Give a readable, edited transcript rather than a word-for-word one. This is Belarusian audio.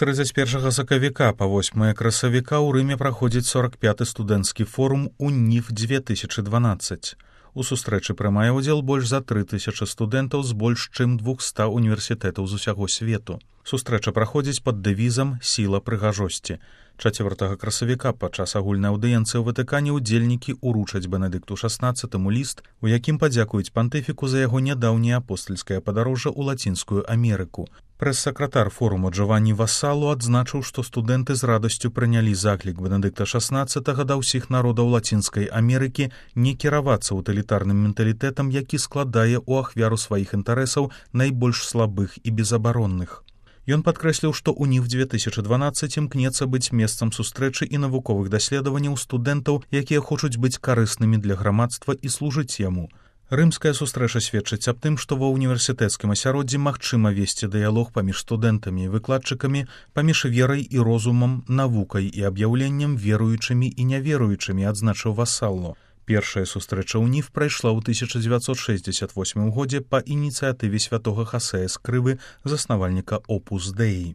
31 сакавіка па 8 красавіка ў Рыме праходзіць 45-й студэнцкі форум УНІФ-2012. У сустрэчы прымае ўдзел больш за 3000 студэнтаў з больш чым 200 універсітэтаў з усяго свету. Сустрэча праходзіць пад дэвізам «Сіла прыгажосці». 4 красавіка падчас агульнай аўдыенцыі ў Ватыкане ўдзельнікі ўручаць Бенедыкту XVI ліст, у якім падзякуюць пантыфіку за яго нядаўняе апостальскае падарожжа ў Лацінскую Амерыку. Прэс-сакратар форуму Джованні Вассалу адзначыў, што студэнты з радасцю прынялі заклік Бенедыкта XVI да ўсіх народаў Лацінскай Амерыкі не кіравацца ўтылітарным менталітэтам, які складае ў ахвяру сваіх інтарэсаў найбольш слабых і безабаронных. Ён падкрэсліў, што УНІФ-2012 імкнецца быць месцам сустрэчы і навуковых даследаванняў студэнтаў, якія хочуць быць карыснымі для грамадства і служыць яму. Рымская сустрэча сведчыць аб тым, што ва ўніверсітэцкім асяроддзі магчыма весці дыялог паміж студэнтамі і выкладчыкамі, паміж верай і розумам, навукай і аб'яўленнем веруючымі і няверуючымі, адзначыў Вассалу. Першая сустрэча УНІФ прайшла ў 1968 годзе па ініцыятыве святога Хасея Скрывы, заснавальніка Опус Деі.